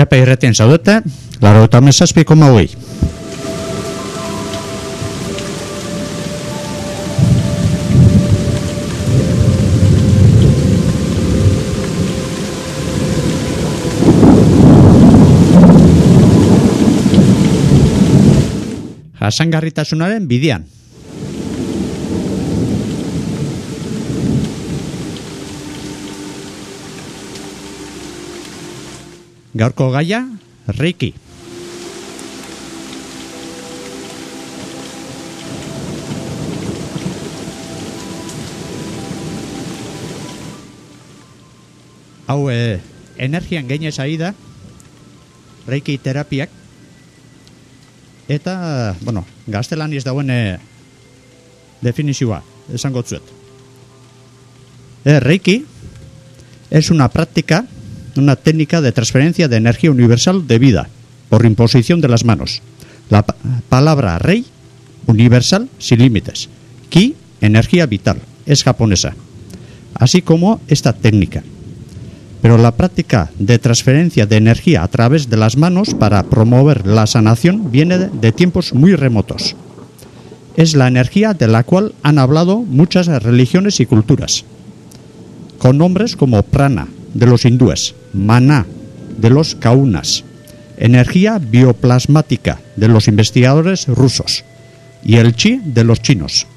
Txapa irretien zaudete, 97,8. Jasangarritasunaren bidean. Gaurko gaia, Reiki. Hau, energian gainez ari da, Reiki terapiak, eta, bueno, gaztelaniz dauen definizioa, esango zuet. Reiki es una práctica, una técnica de transferencia de energía universal de vida por imposición de las manos. La palabra rei, universal, sin límites. Ki, energía vital, es japonesa. Así como esta técnica. Pero la práctica de transferencia de energía a través de las manos para promover la sanación viene de tiempos muy remotos. Es la energía de la cual han hablado muchas religiones y culturas, con nombres como prana, de los hindúes, maná, de los kaunas, energía bioplasmática, de los investigadores rusos, y el chi, de los chinos.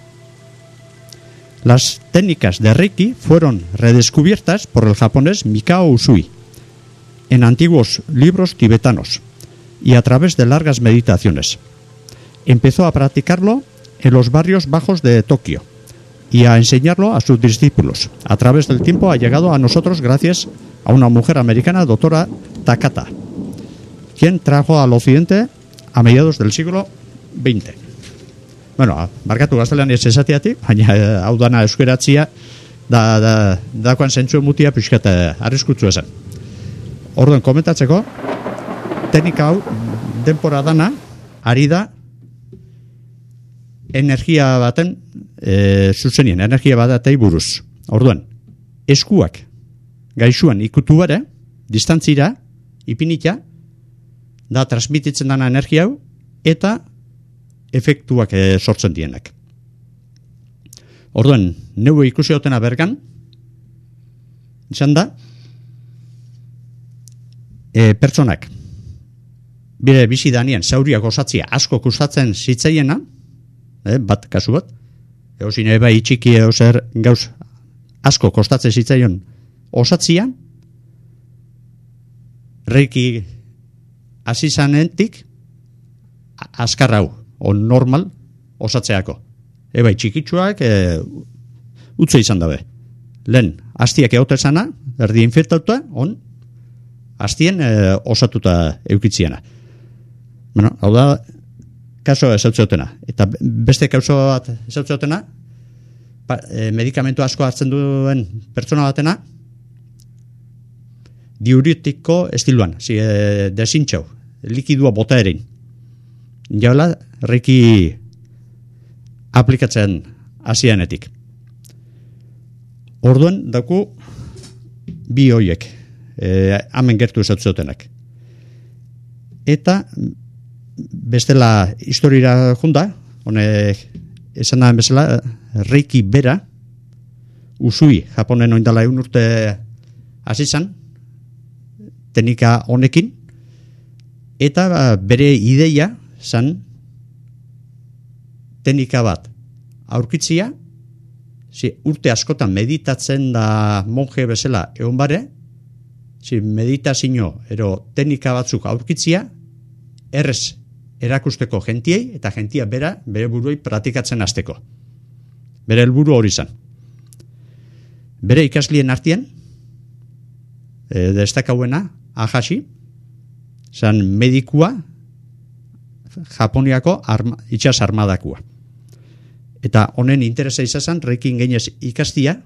Las técnicas de Reiki fueron redescubiertas por el japonés Mikao Usui en antiguos libros tibetanos y a través de largas meditaciones. Empezó a practicarlo en los barrios bajos de Tokio y a enseñarlo a sus discípulos. A través del tiempo ha llegado a nosotros gracias a una mujer americana, doctora Takata, quien trajo al occidente a mediados del siglo XX. Bueno, barkatu gaztelaniaz esateatik, baina hau dana euskeratzia dakoan zentzuen mutia pixkat arriskutzu esan. Orduan, komentatzeko, teknika hau denpora dana ari da energia baten zuzenien, energia batei buruz. Orduan, eskuak gaixuan ikutu bare, distantzira, ipinita, da transmititzen dana energia hau, eta efektuak sortzen dienak. Orduan, neue ikusi hotena bergan, izan da, pertsonak, bire bizi danien, zauriak osatzia asko kustatzen zitzaiena, bat, kasu bat, eozin eba itxiki eozer gauz asko kostatzen zitzaion osatzia, Reiki asizanetik azkar hau, on normal osatzeako. Eba txikitsuak utzu izan dabe. Lehen, hastiak egote zana, erdi infektauta, on hastien osatuta eukitziena. Bueno, hau da, kaso esautzeotena. Eta beste kauso bat esautzeotena, medikamentu asko hartzen duen pertsona batena, diuritiko estiluan, desintxau, likidua bota erein. Jaula, Reiki aplikatzen hasianetik. Orduan, dauku, bi hoiek, hemen gertu esatzutenak. Eta, bestela historira junda, honek esan da bezala, Reiki bera, Usui, Japonen oindala 1 urte hasi zan, teknika honekin, eta bere ideia zan teknika bat aurkitzia, urte askotan meditatzen da monje bezala egon bare, meditazio ero teknika batzuk aurkitzia, errez erakusteko jentiei, eta jentia bere buruei praktikatzen hasteko. Bere helburu hori zan. Bere ikaslien artien, destakauena, Ahashi, zan medikua, Japoniako itxas armadakua. Eta honen interesa izazan, Reikin gainez ikastia,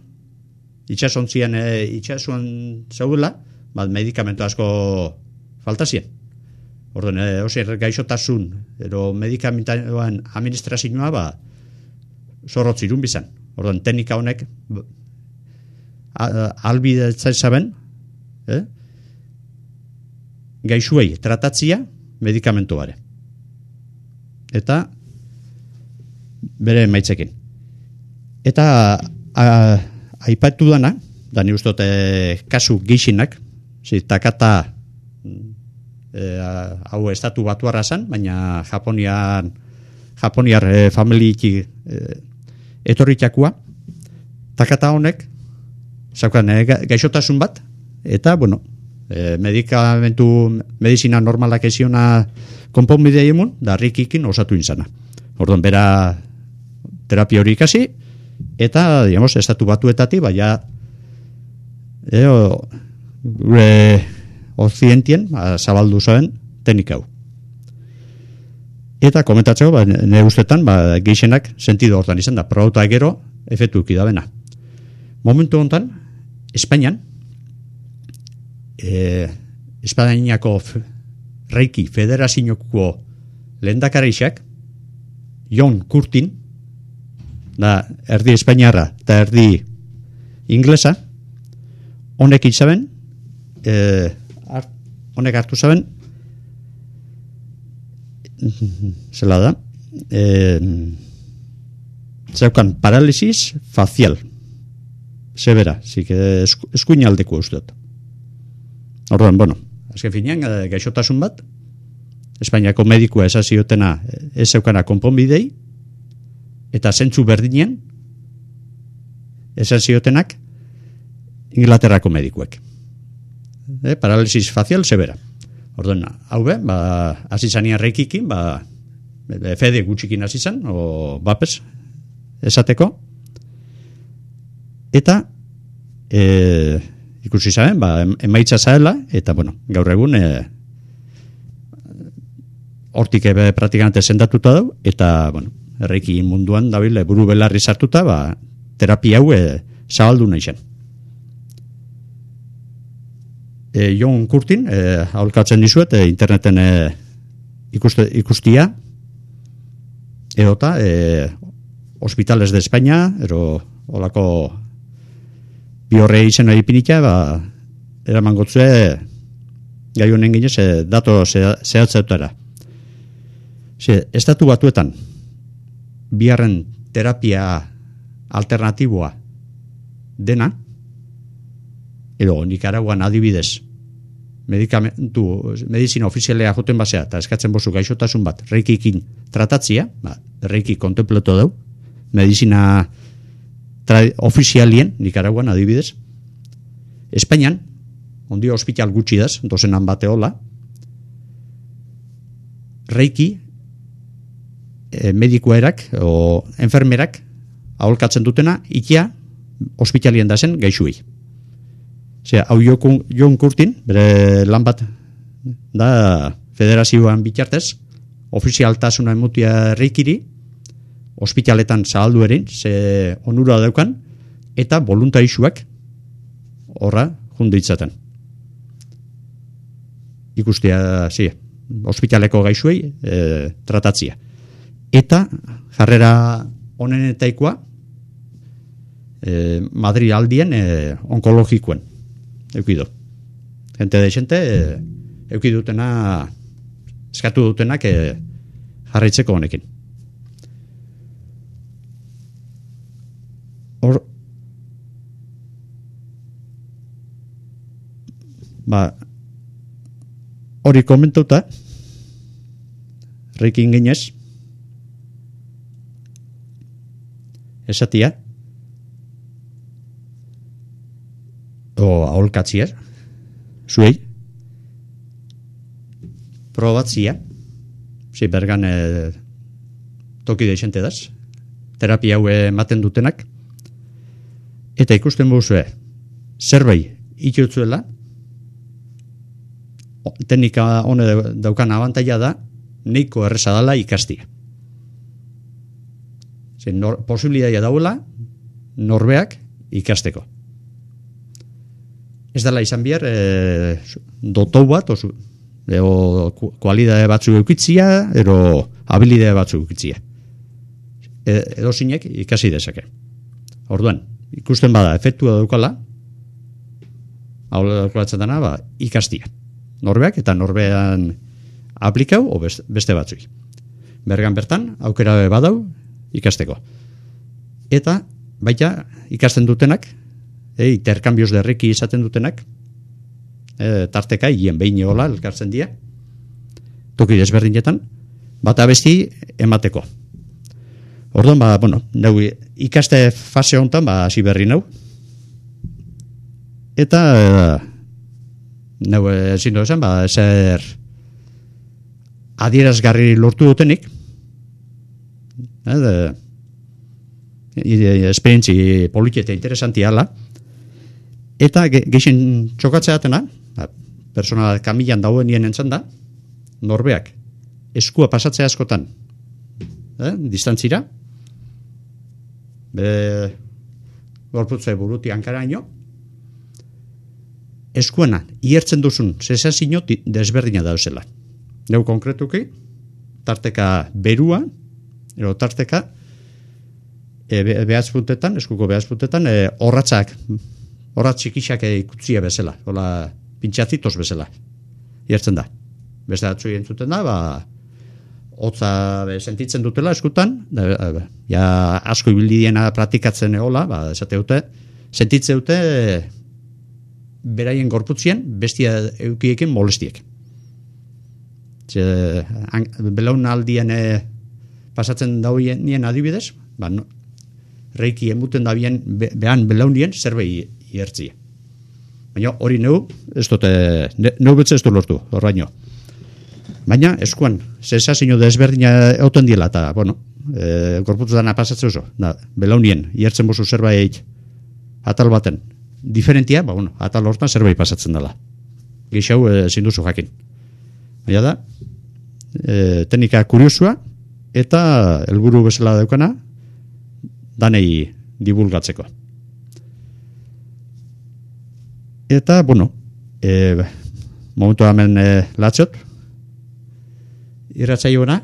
itxasontzian itxasuan zaudela, medikamentu asko faltazien. Orduan, osir gaixotasun, ero medikamentuan administrazioa, zorrotz irun bizan. Orduan, teknika honek albidetzen zaben, gaixuei tratatzia medikamentu bare. Eta bere maitzekin. Eta aipatu dana, da ni ustot kasu gixinak, takata hau estatu batuarra zan, baina Japoniar familiki etorritakua, takata honek, zaukan gaixotasun bat, eta, bueno, medizina normalak eziona konponbidea emun, da rikikin osatu inzana. Orduan, bera terapia hori ikasi, eta, digamos, estatu batuetatik, baina, gure ozientien, zabaldu zuen, teknika hau. Eta komentatzeko, nire ustetan, geixenak sentido hortan izan da, probauta gero, efektu ikidabena. Momentu honetan, Espainian, Espainiako Reiki Federazioko lehendakareixak, John Curtin, da erdi espainiarra eta erdi inglesa, honek itzaben, honek hartu zaben, zela da, zeukan paralisis facial, severa, eskuinaldeko usteot. Orduan, bueno, azken finean, gaixotasun bat, Espainiako medikua esaziotena ez zeukana konponbidei, eta zentzu berdinen esaziotenak Inglaterrako medikuek. Paralisis facial severa. Orduan, hau be, azizania reikikin, fede gutxikin azizan, o bapes, esateko, eta ikusi zaben, emaitza zaela, eta, bueno, gaur egun hortik praktikamente sendatuta dau, eta, bueno, erreiki munduan dabil buru belarri sartuta, terapia hau zabaldu nahi zen. John Curtin, aholkatzen dizuet, interneten ikustia, edota, Hospitales de España, ero olako biorre izena ipinitea, eraman gotzue, gai honen ginez, dato zehatzetara. Estatu batuetan, biharren terapia alternatiboa dena, edo Nikaraguan adibidez, medizina ofizialea joten basea, eta eskatzen bozu gaixotasun bat, reikikin tratatzia, reiki kontempleto dau, medizina ofizialien, Nikaraguan adibidez, Espainian, ondio hospital gutxi daz, dozenan bate hola, reiki medikuerak o enfermerak aholkatzen dutena ikia hospitalien dazen gaixuei. Hau John Curtin, bere lan bat da federazioan bitartez, ofizialtasuna emutia reikiri, hospitaletan zahaldu erin, ze onura daukan, eta voluntarisuak horra jundu itzaten. Ikustia, hospitaleko gaixuei tratatzia. Eta jarrera honenetaikoa Madrid aldien onkologikoen eukido. Gente de xente eukidutena eskatu dutenak jarraitzeko honekin. Hori komentuta reikin ginez esatia o aholkatzia zuei probatzia bergan toki deixente daz terapia hau ematen dutenak eta ikusten buzue zerbait itxutzuela teknika hone daukan abantaila da neiko erreza dala ikastia. Posibilitatea dauela norbeak ikasteko. Ez dela izan behar dotou bat o kualidade batzuk eukitzia ero habilidade batzuk eukitzia. Edo zinek ikasi dezake. Orduan, ikusten bada efektua daukala hau daukalatzen dena ikastia. norbeak eta norbean aplikau o beste batzui. Bergan bertan aukera badau ikasteko. Eta baita ikasten dutenak, interkambios derriki izaten dutenak, tarteka hien behin egola elkartzen dira, toki desberdinetan, bata besti emateko. Orduan, nau ikaste fase honetan, hasi berri nau. Eta nau ezin dozan, zer adierazgarri lortu dutenik, esperientzi politi eta interesanti ala, eta geixen txokatzea atena, persona kamilan dauen nien entzan da, norbeak eskua pasatzea askotan, distantzira, gorputze buruti hankaraino, eskuena iertzen duzun sensazio desberdina dauzela. Neu konkretuki, tarteka berua, ero tarteka eskuko behazpuntetan, horratz txikixak ikutzia bezala, hola pintxazitos bezala, iertzen da. Beste atzu entzuten da, hotza sentitzen dutela eskutan, asko ibildiena praktikatzen egola, esate dute, sentitzen dute beraien gorputzien bestia eukiekin molestiek. Belaunaldien pasatzen dauen adibidez, reiki emuten da behan belaunien zerbait iertzia. Baina hori neu betze ez du lortu, horraino. Baina eskuan, sensazio desberdina euten diela, eta, gorputzutan pasatzen oso, belaunien iertzen bozu zerbait atal baten, diferentia, atal hortan zerbait pasatzen dela. Geixau ezin duzu jakin. Baina da, teknika kuriosua eta helburu bezala daukana danei divulgatzeko. Eta, momentu hemen latxot, irratsaioena,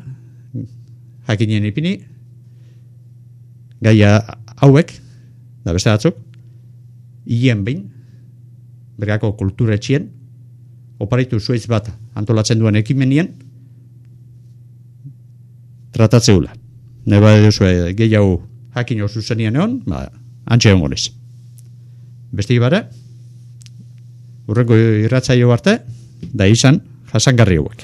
jakinien ipini, gaia hauek, da beste batzuk, hien behin, bergako kulturetxien, oparitu zuaitz bat antolatzen duen ekimenien, tratatzeula. Neba duzu gehiago jakin oso zenien egon, antxe egon gonez. Beste ibare, urrengo irratsaio arte, da izan jasangarri hauek.